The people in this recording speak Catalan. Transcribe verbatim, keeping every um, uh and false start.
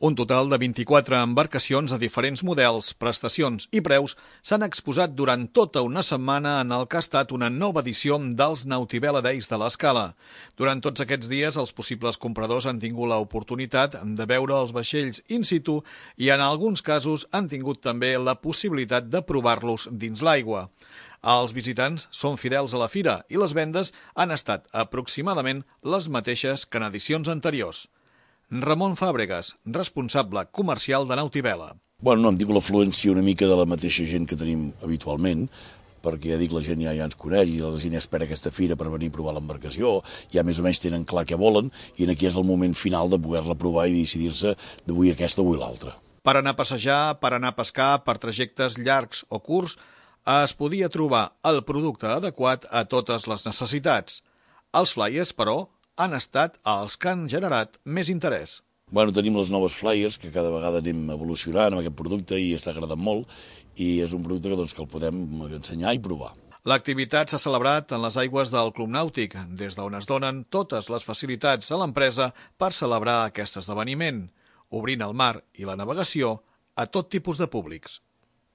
Un total de vint-i-quatre embarcacions de diferents models, prestacions i preus s'han exposat durant tota una setmana en el que ha estat una nova edició dels Nautivela Days de l'Escala. Durant tots aquests dies, els possibles compradors han tingut l'oportunitat de veure els vaixells in situ i en alguns casos han tingut també la possibilitat de provar-los dins l'aigua. Els visitants són fidels a la fira i les vendes han estat aproximadament les mateixes que en edicions anteriors. Ramon Fàbregas, responsable comercial de Nautivela. Bueno, no, em dic l'afluència una mica de la mateixa gent que tenim habitualment, perquè ja dic, la gent ja, ja ens coneix i la gent ja espera aquesta fira per venir a provar l'embarcació, ja més o menys tenen clar què volen i aquí és el moment final de poder-la provar i decidir-se d'avui aquesta o avui l'altra. Per anar a passejar, per anar a pescar, per trajectes llargs o curts, es podia trobar el producte adequat a totes les necessitats. Els flyers, però, han estat els que han generat més interès. Bueno, tenim les noves flyers, que cada vegada anem evolucionant amb aquest producte i està agradant molt, i és un producte que, doncs, que el podem ensenyar i provar. L'activitat s'ha celebrat en les aigües del Club Nàutic, des d'on es donen totes les facilitats a l'empresa per celebrar aquest esdeveniment, obrint el mar i la navegació a tot tipus de públics.